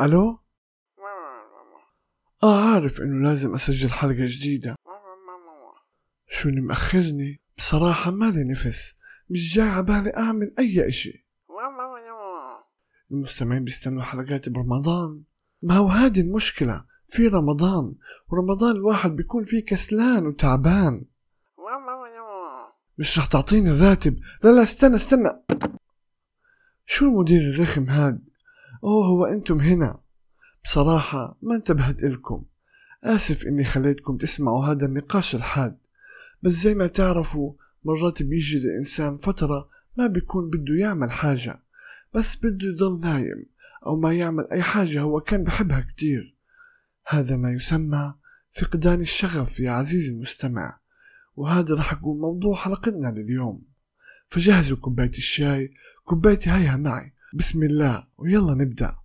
ألو؟ عارف إنه لازم أسجل حلقة جديدة. شو اللي مأخرني؟ بصراحة مالي نفس، مش جاي عبالي أعمل أي إشي. المستمعين بيستنوا حلقات برمضان. ما هو هذه المشكلة، في رمضان، ورمضان الواحد بيكون فيه كسلان وتعبان. مش رح تعطيني الراتب؟ لا استنى. شو المدير الرخم هاد؟ هو أنتم هنا. بصراحة ما انتبهت إلكم، آسف إني خليتكم تسمعوا هذا النقاش الحاد، بس زي ما تعرفوا مرات بيجي الإنسان فترة ما بيكون بده يعمل حاجة، بس بده يضل نايم أو ما يعمل أي حاجة هو كان بحبها كتير. هذا ما يسمى فقدان الشغف يا عزيزي المستمع، وهذا رح يكون موضوع حلقتنا لليوم. فجهزوا كوباية الشاي، كوبايتي هيها معي، بسم الله ويلا نبدأ.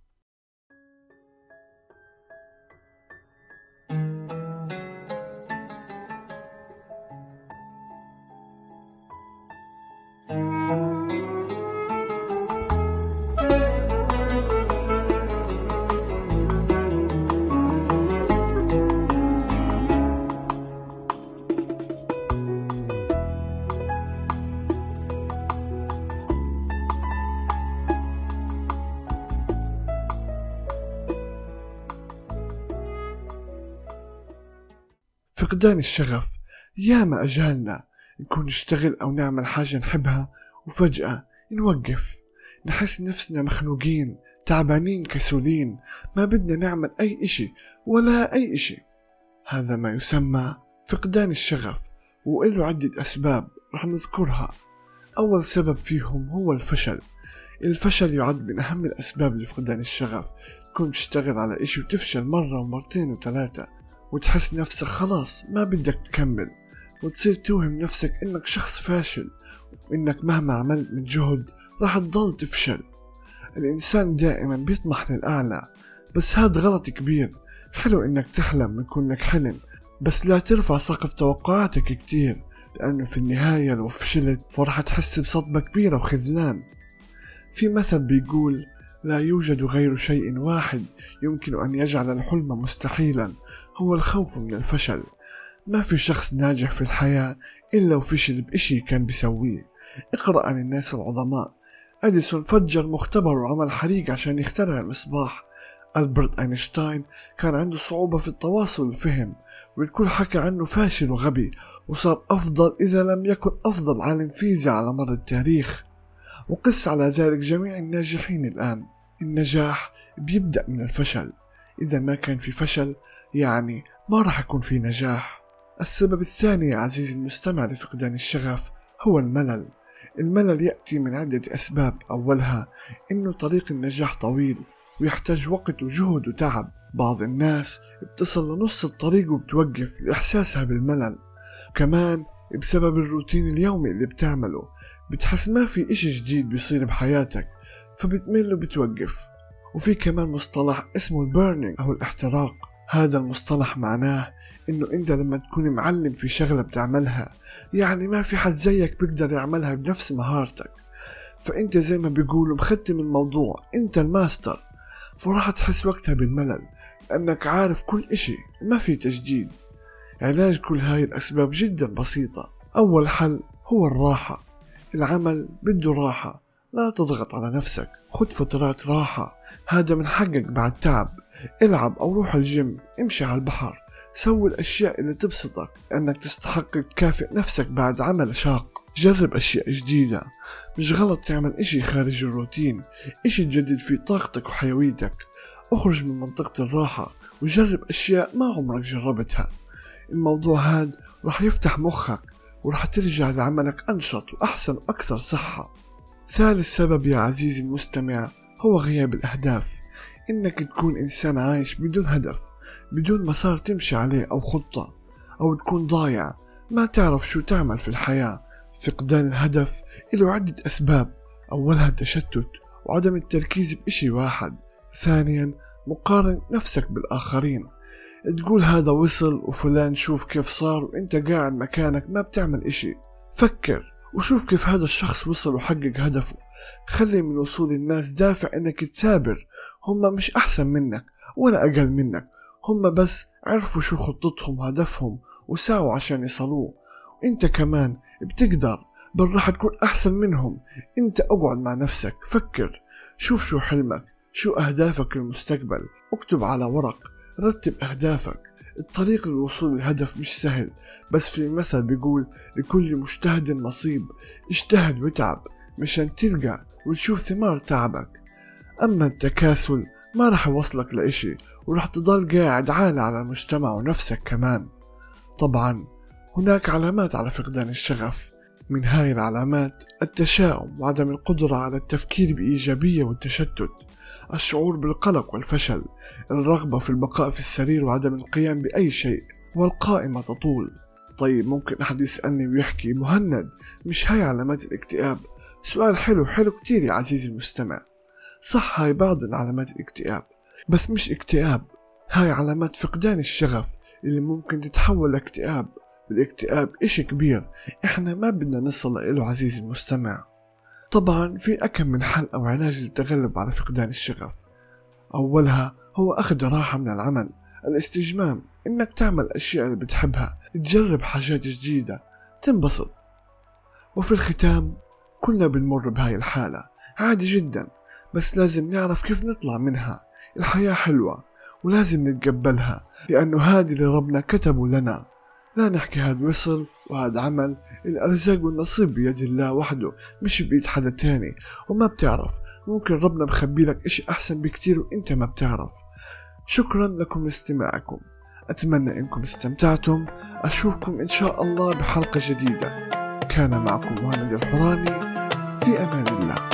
فقدان الشغف، ياما أجالنا نكون نشتغل أو نعمل حاجة نحبها وفجأة نوقف، نحس نفسنا مخنوقين، تعبانين، كسولين، ما بدنا نعمل أي إشي ولا أي إشي. هذا ما يسمى فقدان الشغف، وإله عدة أسباب رح نذكرها. أول سبب فيهم هو الفشل. الفشل يعد من أهم الأسباب لفقدان الشغف. تكون تشتغل على إشي وتفشل مرة ومرتين وثلاثة، وتحس نفسك خلاص ما بدك تكمل، وتصير توهم نفسك إنك شخص فاشل، وإنك مهما عملت من جهد راح تضل تفشل. الإنسان دائما بيطمح للأعلى، بس هذا غلط كبير. حلو إنك تحلم ويكون لك حلم، بس لا ترفع سقف توقعاتك كتير، لأنه في النهاية لو فشلت فرح تحس بصدمة كبيرة وخذلان. في مثل بيقول: لا يوجد غير شيء واحد يمكن أن يجعل الحلم مستحيلا، هو الخوف من الفشل. ما في شخص ناجح في الحياة إلا وفشل بإشي كان بيسويه. اقرأ عن الناس العظماء. أديسون فجر مختبر وعمل حريق عشان يخترع المصباح. ألبرت أينشتاين كان عنده صعوبة في التواصل والفهم، والكل حكى عنه فاشل وغبي، وصار أفضل إذا لم يكن أفضل عالم فيزياء على مر التاريخ. وقس على ذلك جميع الناجحين الآن. النجاح بيبدأ من الفشل، إذا ما كان في فشل يعني ما راح يكون في نجاح. السبب الثاني يا عزيزي المستمع لفقدان الشغف هو الملل. الملل يأتي من عدة أسباب. أولها إنه طريق النجاح طويل ويحتاج وقت وجهد وتعب. بعض الناس بتصل لنص الطريق وبتوقف لإحساسها بالملل. كمان بسبب الروتين اليومي اللي بتعمله بتحس ما في إشي جديد بيصير بحياتك، فبتمل وبتوقف. وفي كمان مصطلح اسمه البيرنينج أو الاحتراق. هذا المصطلح معناه إنه أنت لما تكون معلم في شغلة بتعملها، يعني ما في حد زيك بيقدر يعملها بنفس مهارتك، فأنت زي ما بيقولوا مختم الموضوع، أنت الماستر، فراح تحس وقتها بالملل لأنك عارف كل إشي، ما في تجديد. علاج كل هاي الأسباب جدا بسيطة. أول حل هو الراحة. العمل بده راحة، لا تضغط على نفسك، خد فترات راحة، هذا من حقك بعد تعب. العب أو روح الجيم، امشي على البحر، سوي الأشياء اللي تبسطك، لأنك تستحق تكافئ نفسك بعد عمل شاق. جرب أشياء جديدة، مش غلط تعمل إشي خارج الروتين، إشي تجدد فيه طاقتك وحيويتك. اخرج من منطقة الراحة وجرب أشياء ما عمرك جربتها. الموضوع هاد رح يفتح مخك ورح ترجع لعملك أنشط وأحسن وأكثر صحة. ثالث سبب يا عزيزي المستمع هو غياب الأهداف. إنك تكون إنسان عايش بدون هدف، بدون مسار تمشي عليه أو خطة، أو تكون ضايع ما تعرف شو تعمل في الحياة. فقدان الهدف له عدة أسباب. أولها التشتت وعدم التركيز بإشي واحد. ثانيا مقارنة نفسك بالآخرين، تقول هذا وصل وفلان شوف كيف صار وإنت قاعد مكانك ما بتعمل إشي. فكر وشوف كيف هذا الشخص وصل وحقق هدفه. خلي من وصول الناس دافع انك تثابر. هم مش احسن منك ولا اقل منك، هم بس عرفوا شو خطتهم وهدفهم وساووا عشان يصلوه. وانت كمان بتقدر، بل راح تكون احسن منهم. انت اقعد مع نفسك، فكر، شوف شو حلمك، شو اهدافك للمستقبل، اكتب على ورق، رتب اهدافك. الطريق للوصول للهدف مش سهل، بس في مثل بيقول لكل مجتهد نصيب. اجتهد وتعب مشان تلقى وتشوف ثمار تعبك. اما التكاسل ما رح يوصلك لإشي، ورح تضل قاعد عالة على المجتمع ونفسك كمان. طبعا هناك علامات على فقدان الشغف، من هاي العلامات التشاؤم وعدم القدرة على التفكير بإيجابية والتشتت، الشعور بالقلق والفشل، الرغبة في البقاء في السرير وعدم القيام بأي شيء، والقائمة تطول. طيب ممكن أحد يسألني ويحكي مهند، مش هاي علامات الاكتئاب؟ سؤال حلو كتير يا عزيزي المستمع. صح، هاي بعض من علامات الاكتئاب، بس مش اكتئاب. هاي علامات فقدان الشغف اللي ممكن تتحول لاكتئاب. والاكتئاب إشي كبير إحنا ما بدنا نصل إله عزيزي المستمع. طبعا في أكم من حل أو علاج للتغلب على فقدان الشغف. أولها هو أخذ راحة من العمل، الاستجمام، إنك تعمل أشياء اللي بتحبها، تجرب حاجات جديدة، تنبسط. وفي الختام كلنا بنمر بهاي الحالة عادي جدا، بس لازم نعرف كيف نطلع منها. الحياة حلوة ولازم نتقبلها، لأنه هذا اللي ربنا كتبه لنا. لا نحكي هاد وصل وهاد عمل، الأرزاق والنصيب بيد الله وحده، مش بيد حدا تاني. وما بتعرف، ممكن ربنا بخبي لك إشي أحسن بكتير وإنت ما بتعرف. شكرا لكم لاستماعكم، أتمنى إنكم استمتعتم. أشوفكم إن شاء الله بحلقة جديدة. كان معكم مهند الحوراني، في أمان الله.